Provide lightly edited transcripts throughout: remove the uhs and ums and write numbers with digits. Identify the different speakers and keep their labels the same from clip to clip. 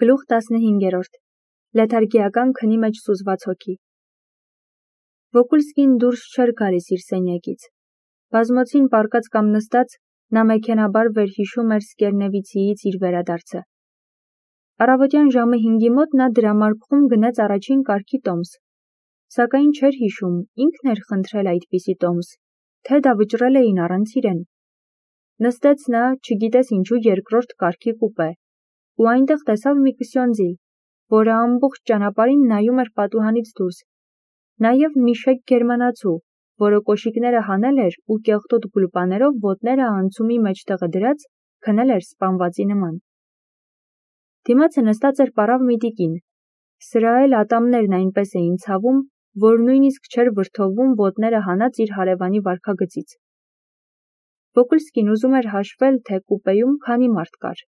Speaker 1: Գլուխ 15 Լեթարգիական քնի մեջ սուզված հոգի Վոկուլսկին դուրս չէր գալիս իր սենյակից։ Բազմոցին պառկած կամ նստած, նա մեքենաբար վերհիշում էր Սկերնևիցիից իր վերադարձը։ Առավոտյան ժամը 5-ի մոտ նա դրամարկղում գնաց առաջին կարգի տոմս։ Սակայն չէր հիշում, ինքն էր խնդրել այդպիսի տոմս, թե դա վճռել էին առանց իրեն։ Նստեց նա, չգիտես ինչու երկրորդ կարգի կուպե, ու այնտեղ տեսավ մի կսյոնձի, որը ամբողջ ճանապարհին նայում էր պատուհանից դուրս, նաև մի շեկ գերմանացու, որը կոշիկները հանել էր ու կեղտոտ գուլպաներով ոտները անցումի մեջտեղը դրած, քնել էր սպանվածի նման։ Դիմացը նստած էր պառավ մի տիկին, սրա էլ ատամներն այնպես էին ցավում, որ նույնիսկ չէր վրդովվում ոտները հանած իր հարևանի վարքագծից։ Վոկուլսկին ուզում էր հաշվել, թե կուպեում քանի մարդ կար,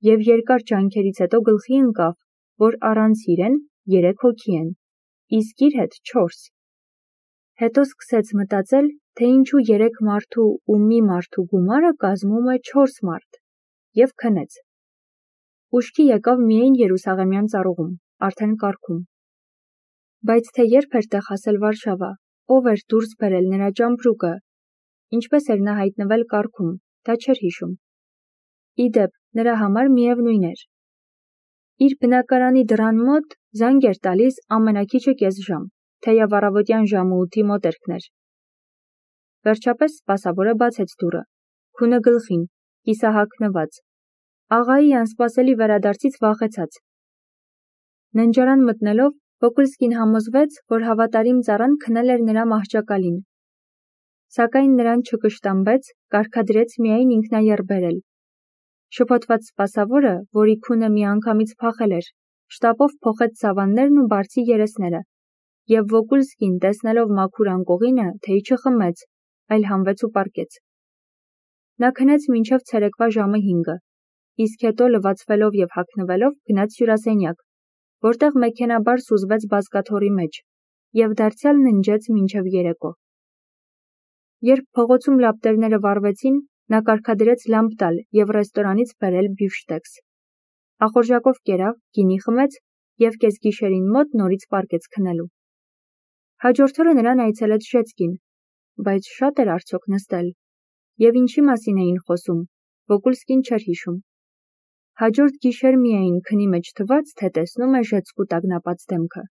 Speaker 1: և երկար ջանքերից հետո գլխի ընկավ, որ առանց իրեն 3 հոգի են, իսկ իր հետ 4։ Հետո սկսեց մտածել, թե ինչու 3 մարդու ու մի մարդու գումարը կազմում է 4 մարդ, և քնեց։ Ուշքի եկավ միայն Երուսաղեմյան ծառուղում, արդեն կառքում։ Բայց թե երբ էր տեղ հասել Վարշավա, ով էր դուրս բերել նրա ճամպրուկը, ինչպես էր նա հայտնվել կառքում, դա չէր հիշում։ Ի դեպ, նրա համար միևնույն էր։ Իր բնակարանի դռան մոտ զանգ էր տալիս ամենաքիչը կես ժամ, թեև առավոտյան ժամը 8-ի մոտերքն էր։ Վերջապես սպասավորը բացեց դուռը, քունը գլխին, կիսահագնված, աղայի անսպասելի վերադարձից վախեցած։ Ննջարան մտնելով, Վոկուլսկին համոզվեց, որ հավատարիմ ծառան քնել էր նրա մահճակալին։ Սակայն նրան չկշտամբեց, կարգադրեց միայն ինքնաեռբերել։ Շփոթված սպասավորը, որի քունը միանգամից փախել էր, շտապով փոխեց սավաններն ու բարձի երեսները, և Վոկուլսկին, տեսնելով մաքուր անկողինը, թեյ չխմեց, այլ հանվեց ու պառկեց։ Նա քնեց մինչև ցերեկվա ժամը 5, իսկ հետո լվացվելով և հագնվելով գնաց հյուրասենյակ, որտեղ մեքենաբար սուզվեց բազկաթոռի մեջ, և դարձյալ ննջեց մինչև երեկո։ Երբ փողոցում լապտերները վառվեցին, նա կարգադրեց լամպ տալ և ռեստորանից բերել բիֆշտեքս։ Ախորժակով կերավ, գինի խմեց և կեսգիշերին մոտ նորից պառկեց քնելու։ Հաջորդ օրը նրան այցելեց Ժեցկին, բայց շատ էր արդյոք նստել, և ինչի մասին էին խոսում, Վոկուլսկին չէր հիշում։ Հաջորդ գիշեր միայն քնի մեջ թվաց, թե տեսնում է Ժեցկու տագնապած դեմքը։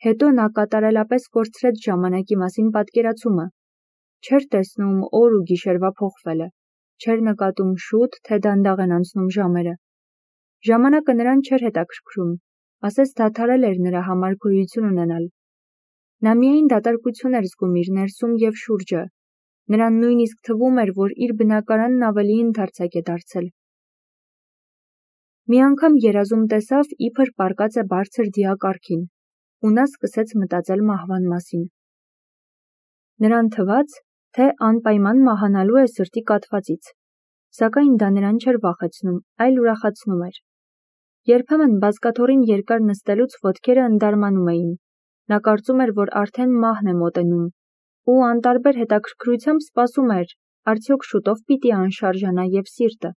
Speaker 1: Հետո նա կատարելապես կորցրեց ժամանակի մասին պատկերացումը, չէր տեսնում օր ու գիշերվա փոխվելը, չէր նկատում շուտ, թե դանդաղ են անցնում ժամերը։ Ժամանակը նրան չէր հետաքրքրում, ասես դադարել էր նրա համար գոյություն ունենալ։ Նա միայն դատարկություն էր զգում իր ներսում և շուրջը, նրան նույնիսկ թվում էր, որ իր բնակարանն ավելի ընդարձակ է դարձել։ Մի անգամ երազում տեսավ, իբր պառկած է բարձր դիակառքին, ու նա սկսեց մտածել մահվան մասին։ Նրան թվաց, թե անպայման մահանալու է սրտի կաթվածից, սակայն դա նրան չէր վախեցնում, այլ ուրախացնում էր։ Երբեմն բազկաթոռին երկար նստելուց ոտքերը ընդարմանում էին, նա կարծում էր, որ արդեն մահն է մոտենում, ու անտարբեր հետաքրքրությամբ սպասում էր, արդյոք շուտով պիտի անշարժանա և սիրտը։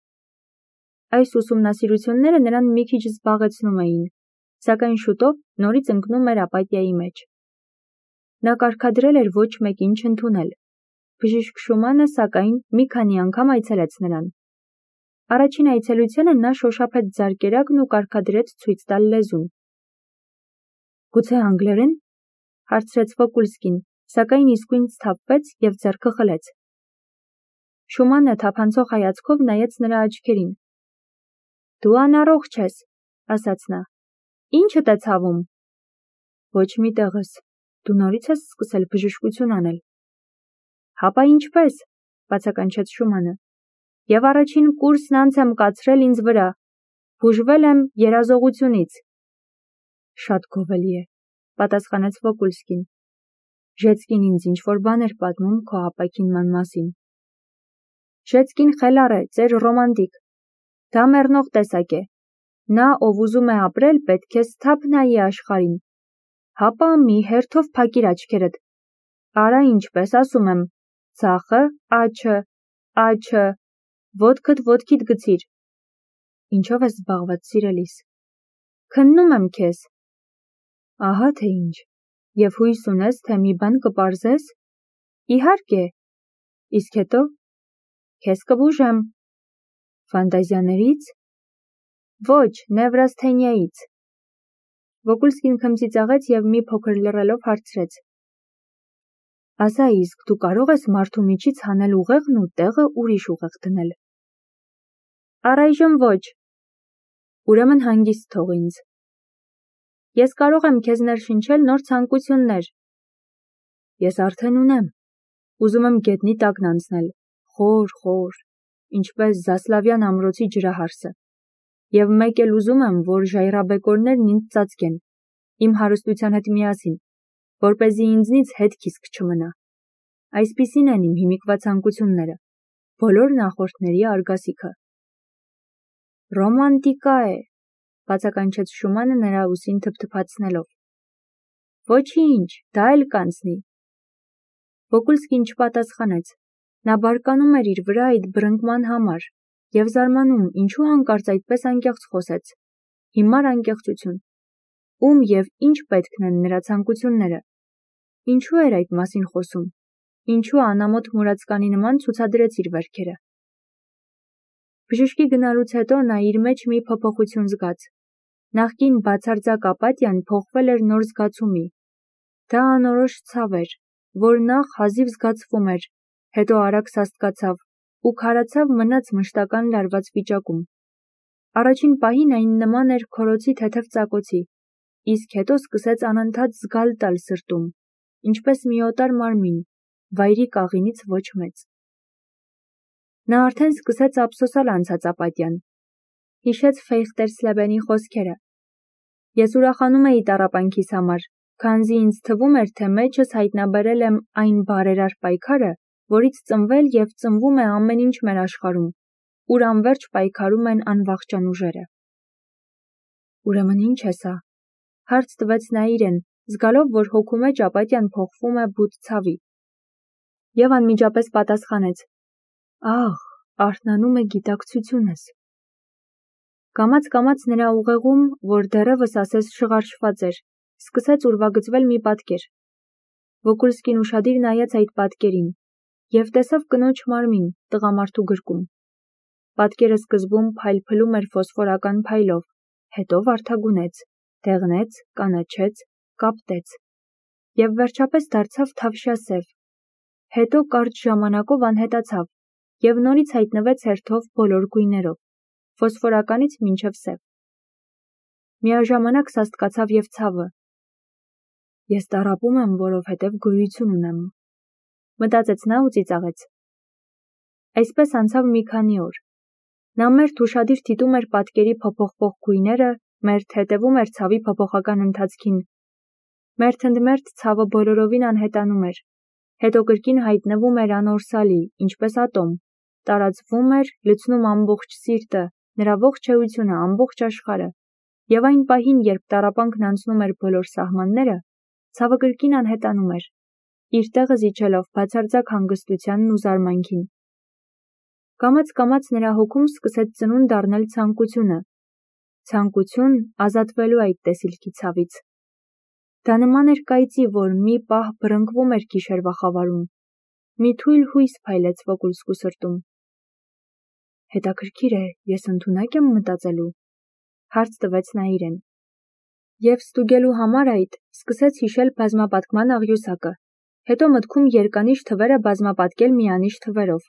Speaker 1: Այս ուսումնասիրությունները նրան մի քիչ զբաղեցնում էին, սակայն շուտով նորից ընկնում էր ապաթիայի մեջ։ Նա կարգադրել էր ոչ մեկին չընդունել։ Բժիշկ Շումանը, սակայն, մի քանի անգամ այցելեց նրան։ Առաջին այցելությանը նա շոշափեց ձարկերակն ու կարգադրեց ցույց տալ լեզուն։ Գուցե անգլերեն, հարցրեց Վոկուլսկին, սակայն իսկույն սթափվեց և ձեռքը խլեց։ Շումանը թափանցող հայացքով նայեց նրա աչքերին։ Դու անառողջ ես, ասաց նա։ Ինչդ է ցավում։ Ոչ մի տեղս, դու նորից ես սկսել բժշկություն անել։ Հապա ինչպես, բացականչեց Շումանը։ Եվ առաջին կուրսն անց եմ կացրել ինձ վրա, բուժվել եմ երազողությունից։ Շատ գովելի է, պատասխանեց Վոկուլսկին։ Ժեցկին ինձ ինչ-որ բան էր պատմում քո ապաքինման մասին։ Ժեցկին խելառ է, ծեր ռոմանտիկ։ Դա մեռնող տեսակ է։ Նա, ով ուզում է ապրել, պետք է սթափ նայի աշխարհին։ Հապա մի հերթով փակիր աչքերդ։ Արա ինչպես ասում եմ, ձախը, աջը, ոտքդ ոտքիդ գցիր։ Ինչով ես զբաղված, սիրելիս։ Քննում եմ քեզ։ Ահա թե ինչ։ Եվ հույս ունես, թե մի բան կպարզես։ Իհարկե։ Իսկ հետո քեզ կբուժեմ։ Ֆանտազիաներից։ Ոչ, նևրասթենիայից։ Վոկուլսկին քմծիծաղեց և մի փոքր լռելով հարցրեց. Ասա իսկ դու կարող ես մարդու միջից հանել ուղեղն ու տեղը ուրիշ ուղեղ դնել։ Առայժմ ոչ։ Ուրեմն հանգիստ թող ինձ։ Ես կարող եմ քեզ ներշնչել նոր ցանկություններ։ Ես արդեն ունեմ։ Ուզում եմ գետնի տակն անցնել, խոր, ինչպես Զասլավյան ամրոցի ջրահարսը։ Եվ մեկ էլ ուզում եմ, որ ժայռաբեկորներն ինձ ծածկեն, իմ հարստության հետ միասին, որպեսզի ինձնից հետքիսկ չմնա։ Այսպիսին են իմ հիմիկվա ցանկությունները, բոլոր նախորդների արգասիքը։ Ռոմանտիկա է, բացականչեց Շումանը նրա ուսին թփթփացնելով։ Ոչինչ, դա էլ կանցնի։ Վոկուլսկին չպատասխանեց։ Նա բարկանում էր իր վրա այդ բռնկման համար և զարմանում, ինչու հանկարծ այդպես անկեղծ խոսեց։ Հիմար անկեղծություն։ Ում և ինչ պետքն են նրա ցանկությունները։ Ինչու էր այդ մասին խոսում։ Ինչու անամոթ մուրացկանի նման ցուցադրեց իր վերքերը։ Բժշկի գնալուց հետո նա իր մեջ մի փոփոխություն զգաց։ Նախկին բացարձակ ապաթիան փոխվել էր նոր զգացումի։ Դա անորոշ ցավ էր, որ նախ հազիվ զգացվում էր, հետո արագ սաստկացավ ու քարացավ մնաց մշտական լարված վիճակում։ Առաջին պահին այն նման էր քորոցի թեթև ծակոցի, իսկ հետո սկսեց անընդհատ զգալ տալ սրտում, ինչպես մի օտար մարմին, վայրի կաղինից ոչ մեծ։ Նա արդեն սկսեց ափսոսալ անցած ապաթյան։ Հիշեց Ֆեյխտերսլեբենի խոսքերը. Ես ուրախանում էի տառապանքիս համար, քանզի ինձ թվում էր, թե մեջս հայտնաբերել եմ այն բարերար պայքարը, որից ծնվել և ծնվում է ամեն ինչ մեր աշխարհում, ուր անվերջ պայքարում են անվախճան ուժերը։ Ուրեմն ինչ է սա։ Հարց տվեց նա իրեն, զգալով, որ հոգու մեջ ապաթիան փոխվում է բութ ցավի։ Եվ անմիջապես պատասխանեց. Ահ, արթնանում է գիտակցությունս։ Կամաց նրա ուղեղում, որ դեռևս ասես շղարշված էր, սկսեց ուրվագծվել մի պատկեր։ Վոկուլսկին ուշադիր նայեց այդ պատկերին և տեսավ կնոջ մարմին տղամարդու գրկում։ Պատկերը սկզբում փայլփլում էր ֆոսֆորական փայլով, հետո վարդագունեց, դեղնեց, կանաչեց, կապտեց և վերջապես դարձավ թավշյա սև։ Հետո կարճ ժամանակով անհետացավ և նորից հայտնվեց հերթով բոլոր գույներով, ֆոսֆորականից մինչև սև։ Միաժամանակ սաստկացավ և ցավը։ Ես տառապում եմ, որովհետև գոյություն ունեմ, մտածեց նա ու ծիծաղեց։ Այսպես անցավ մի քանի օր։ Նա մերթ ուշադիր դիտում էր պատկերի փոփոխվող գույները, մերթ հետևում էր ցավի փոփոխական ընթացքին։ Մերթ ընդ մերթ ցավը բոլորովին անհետանում էր, հետո կրկին հայտնվում էր անորսալի, ինչպես ատոմ, տարածվում էր, լցնում ամբողջ սիրտը, նրա ողջ էությունը, ամբողջ աշխարհը, և այն պահին, երբ տառապանքն անցնում էր բոլոր սահմանները, ցավը կրկին անհետանում էր, իր տեղը զիջելով բացարձակ հանգստությանն ու զարմանքին։ Կամաց նրա հոգում սկսեց ծնունդ առնել ցանկություն ազատվելու այդ տեսիլքի ցավից։ Դա նման էր կայծի, որ մի պահ բռնկվում էր գիշերվա խավարում։ Մի թույլ հույս փայլեց Վոկուլսկու սրտում։ Հետաքրքիր է, ես ընդունակ եմ մտածելու, հարց տվեց նա իրեն։ Եվ ստուգելու համար այդ սկսեց հիշել բազմապատկման աղյուսակը, հետո մտքում երկանիշ թվերը բազմապատկել միանիշ թվերով,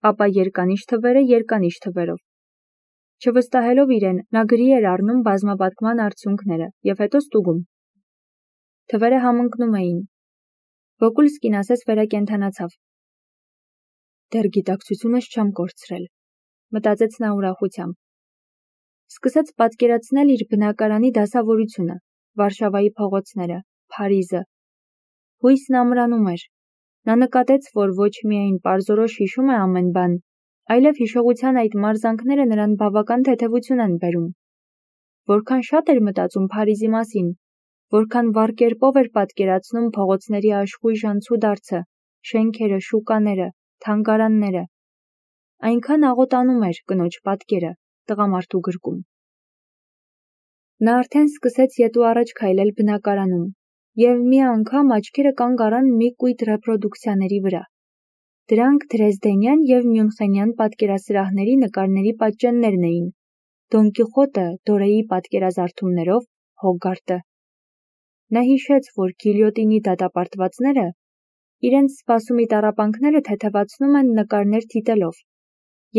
Speaker 1: ապա երկանիշ թվերը երկանիշ թվերով։ Չվստահելով իրեն, նա գրի էր առնում բազմապատկման արդյունքները և հետո ստուգում։ Թվերը համընկնում էին։ Վոկուլսկին ասես վերակենդանացավ։ Դեռ գիտակցությունս չեմ կորցրել, մտածեց նա ուրախությամբ։ Սկսեց պատկերացնել իր բնակարանի դասավորությունը, Վարշավայի փողոցները, Փարիզը։ Հույսն ամրանում էր։ Նա նկատեց, որ ոչ միայն պարզորոշ հիշում է ամեն բան, այլև հիշողության այդ մարզանքները նրան բավական թեթևություն են բերում։ Որքան շատ էր մտածում Փարիզի մասին, որքան վառ կերպով էր պատկերացնում փողոցների աշխույժ անցուդարձը, շենքերը, շուկաները, թանգարանները։ Այնքան աղոտանում էր կնոջ պատկերը, տղամարդու գրկում։ Նա արդեն սկսեց ետ ու առաջ քայլել բնակարանում, և մի անգամ աչքերը կանգ առան մի կույտ ռեպրոդուկցիաների վրա։ Դրանք դրեզդենյան և մյունխենյան պատկերասրահների նկարների պատճեններն էին, Դոն Կիխոտը Դորեի պատկերազարդումներով, Հոգարտը։ Նա հիշեց, որ գիլյոտինի դատապարտվածները իրենց սպասումի տառապանքները թեթևացնում են նկարներ դիտելով,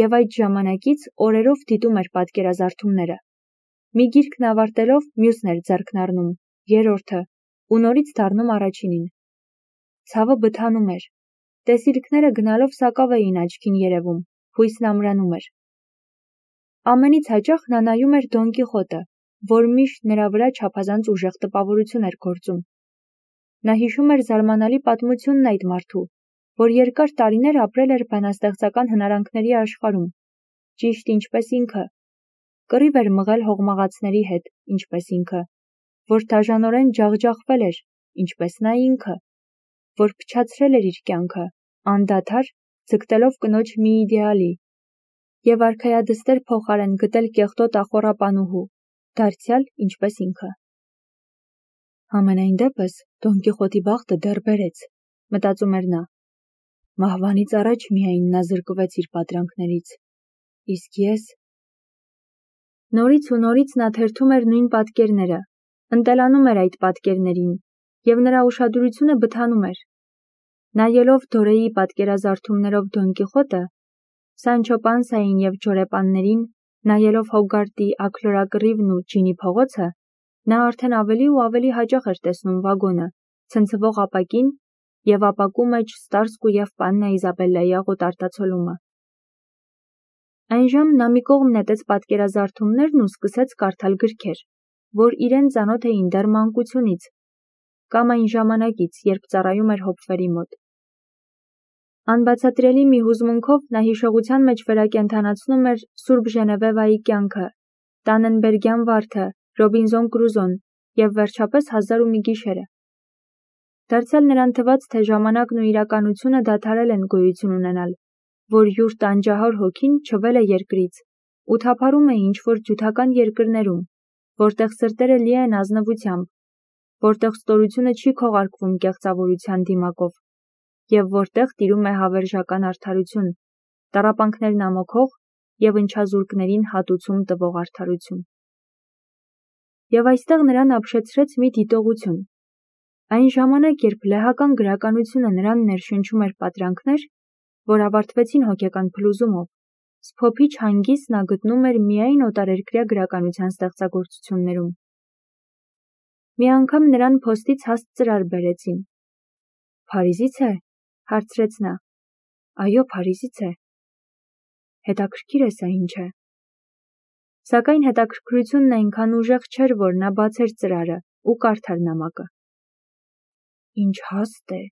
Speaker 1: և այդ ժամանակից օրերով դիտում էր պատկերազարդումները։ Մի գիրքն ավարտելով, մյուսն էր ձեռքն առնում, երրորդը, ու նորից դառնում առաջինին։ Ցավը բթանում էր։ Տեսիլքները գնալով սակավ էին աչքին երևում, հույսն ամրանում էր։ Ամենից հաճախ նա նայում էր Դոն Կիխոտը, որ միշտ նրա վրա չափազանց ուժեղ տպավորություն էր գործում։ Նա հիշում էր զարմանալի պատմությունն այդ մարդու, որ երկար տարիներ ապրել էր բանաստեղծական հնարանքների աշխարհում, ճիշտ ինչպես ինքը, կռիվ էր մղել հողմաղացների հետ, ինչպես ինքը, որ դաժանորեն ջախջախվել էր, ինչպես նա ինքը, որ փչացրել էր իր կյանքը, անդադար ձգտելով կնոջ մի իդեալի, և արքայադստեր փոխարեն գտել կեղտոտ ախոռապանուհու, դարձյալ ինչպես ինքը։ Համենայն դեպս, Դոն Կիխոտի բախտը դեռ բերեց, մտածում էր նա։ Մահվանից առաջ միայն նա զրկվեց իր պատրանքներից, իսկ ես… Նորից ու նորից նա թերթում էր նույն պատկերները, ընտելանում էր այդ պատկերներին, և նրա ուշադրությունը բթանում էր։ Նայելով Դորեի պատկերազարդումներով Դոն Կիխոտը, Սանչո Պանսային և ջորեպաններին, նայելով Հոգարտի աքլորակռիվն ու ջինի փողոցը, նա արդեն ավելի ու ավելի հաճախ էր տեսնում վագոնը, ցնցվող ապակին և ապակու մեջ Ստարսկու և Պաննա Իզաբելլայի աղոտարտացոլումը։ Այնժամ նա մի կողմ նետեց պատկերազարդումներն ու սկսեց կարդալ գրքեր, որ իրեն ծանոթ էին դեռ մանկությունից, կամ այն ժամանակից, երբ ծառայում էր հոպվերի մոտ։ Անբացատրելի մի հուզմունքով նա հիշողության մեջ վերակենդանացնում էր Սուրբ Ժենևևայի կյանքը, Տանենբերգյան վարդը, Ռոբինզոն Կրուզոն և վերջապես 1001 գիշերը։ Դարձյալ նրան թվաց, թե ժամանակն ու իրականությունը դադարել են գոյություն ունենալ, որ յուր տանջահար հոգին չվել է երկրից ու թափառում է ինչ-որ ջութական երկրներում, որտեղ սրտերը լի են ազնվությամբ, որտեղ ստորությունը չի քողարկվում կեղծավորության դիմակով, և որտեղ տիրում է հավերժական արդարություն, տառապանքներն ամոքող և ընչազուրկներին հատուցում տվող արդարություն։ Եվ այստեղ նրան ապշեցրեց մի դիտողություն։ Այն ժամանակ, երբ լեհական գրականությունը նրան ներշնչում էր պատրանքներ, որ ավարտվեցին հոգեկան փլուզումով, սփոփիչ հանգիստ նա գտնում էր միայն օտարերկրյա գրականության ստեղծագործություններում։ Մի անգամ նրան փոստից հաստ ծրար բերեցին։ «Փարիզից է», հարցրեց նա։ «Այո, Փարիզից է»։ Հետաքրքիր է սա ինչ է։ Սակայն հետաքրքրությունն այնքան ուժեղ չէր, որ նա բացեր ծրարը ու կարդար նամակը։ Ինչ հաստ է։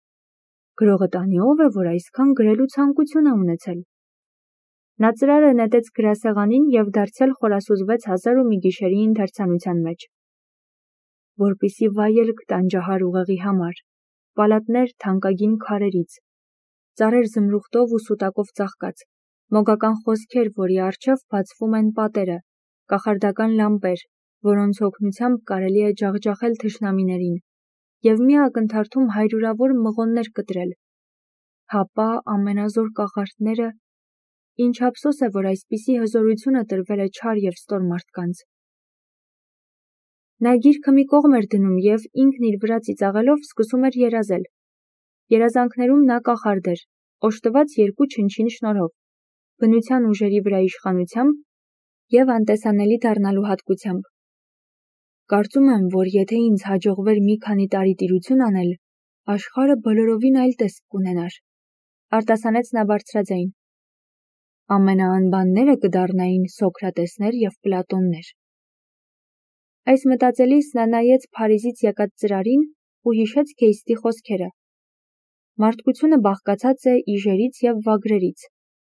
Speaker 1: Գրողը տանի ով է, որ այսքան գրելու ցանկություն է ունեցել։ Նա ծրարը նետեց գրասեղանին և դարձյալ խորասուզվեց 1001 գիշերի ընթերցանության մեջ։ Որպիսի վայելք տանջահար ուղեղի համար, պալատներ թանկագին քարերից, ծառեր զմրուխտով ու սուտակով ծաղկած, մոգական խոսքեր, որի առջև բացվում են պատերը, կախարդական լամպեր, որոնց օգնությամբ կարելի է ջախջախել թշնամիներին, և մի ակնթարթում հարյուրավոր մղոններ կտրել։ Հապա ամենազոր կախարդները… Ինչ ափսոս է, որ այսպիսի հզորությունը տրվել է չար և ստոր մարդկանց։ Նա գիրքը մի կողմ էր դնում և ինքն իր վրա ծիծաղելով սկսում էր երազել։ Երազանքներում նա կախարդ էր, օժտված երկու չնչին շնորհով՝ բնության ուժերի վրա իշխանությամբ և անտեսանելի դառնալու հատկությամբ։ Կարծում եմ, որ եթե ինձ հաջողվեր մի քանի տարի տիրություն անել, աշխարհը բոլորովին այլ տեսք կունենար, արտասանեց նա բարձրաձայն։ Ամենաանբանները կդառնային Սոկրատեսներ և Պլատոններ։ Այս մտածելիս նա նայեց Փարիզից եկած ծրարին ու հիշեց Քեյստի խոսքերը։ Մարդկությունը բաղկացած է իժերից և վագրերից,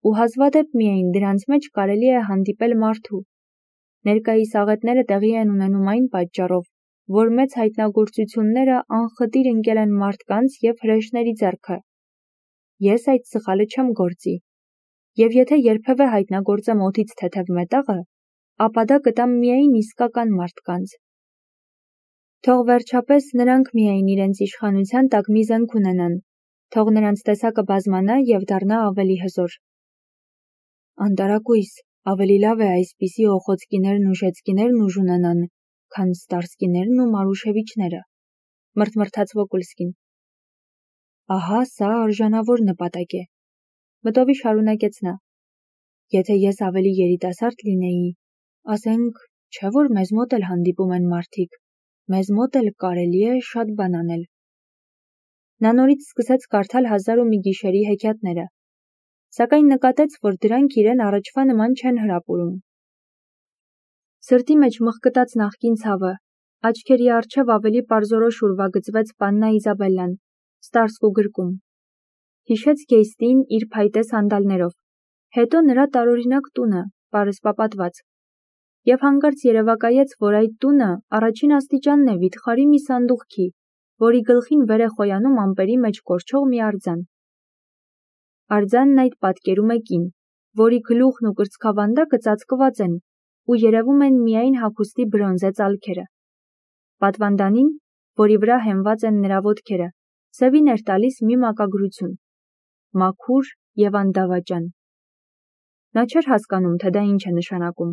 Speaker 1: ու հազվադեպ միայն դրանց մեջ կարելի է հանդիպել մարդու։ Ներկայիս աղետները տեղի են ունենում այն պատճառով, որ մեծ հայտնագործությունները անխտիր ընկել են մարդկանց և հրեշների ձեռքը։ Ես այդ սխալը չեմ գործի։ Եվ եթե երբևէ հայտնագործեմ օդից թեթև մետաղը, ապա դա կտամ միայն իսկական մարդկանց։ Թող վերջապես նրանք միայն իրենց իշխանության տակ մի զենք ունենան, թող նրանց տեսակը բազմանա և դառնա ավելի հզոր։ Անտարակույս, ավելի լավ է այսպիսի օխոցկիներն ու ժեցկիներն ուժ ունենան, քան ստարսկիներն ու Մարուշևիչները, մրթմրթաց Վոկուլսկին։ Ահա սա արժանավոր նպատակ է, մտովի շարունակեց նա։ Եթե ես ավելի երիտասարդ լինեի, ասենք, չէ որ մեզ մոտ էլ հանդիպում են մարդիկ, մեզ մոտ էլ կարելի է շատ բան անել։ Նա նորից սկսեց կարդալ 1001 գիշերի հեքիաթները, սակայն նկատեց, որ դրանք իրեն առաջվա նման չեն հրապուրում։ Սրտի մեջ մղկտաց նախկին ցավը, աչքերի առջև ավելի պարզորոշ ուրվագծվեց Պաննա Իզաբելլան, Ստարսկու գրկում։ Հիշեց Գեյստին իր փայտե սանդալներով, հետո նրա տարօրինակ տունը, պարսպապատված, և հանկարծ երևակայեց, որ այդ տունը առաջին աստիճանն է վիթխարի մի սանդուղքի, որի գլխին վեր է խոյանում ամպերի մեջ կորչող մի արձան։ Արձանն այդ պատկերում է կին, որի գլուխն ու կրծքավանդակը ծածկված են ու երևում են միայն հագուստի բրոնզե ծալքերը։ Պատվանդանին, որի վրա հենված են նրա ոտքերը, սևին էր տալիս մի մակագրություն՝ մաքուր և անդավաճան։ Նա չէր հասկանում, թե դա ինչ է նշանակում,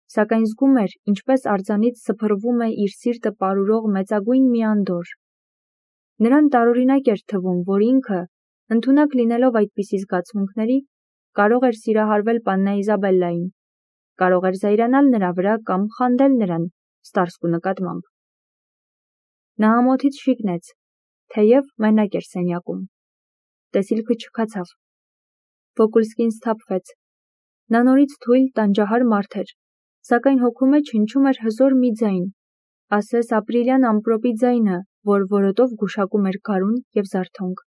Speaker 1: սակայն զգում էր, ինչպես արձանից սփռվում է իր սիրտը պարուրող մեծագույն մի անդորր։ Նրան տարօրինակ էր թվում, որ ինքը, ընդունակ լինելով այդպիսի զգացմունքների, կարող էր սիրահարվել Պաննա Իզաբելլային, կարող էր զայրանալ նրա վրա կամ խանդել նրան, Ստարսկու նկատմամբ։ Նա ամոթից շիկնեց, թեև մենակ էր սենյակում։ Տեսիլքը չքացավ։ Վոկուլսկին սթափվեց։ Նա նորից թույլ, տանջահար մարդ էր, սակայն հոգու մեջ հնչում էր հզոր մի ձայն, ասես ապրիլյան ամպրոպի ձայնը, որ որոտով գուշակում էր գարուն և զարթոնք։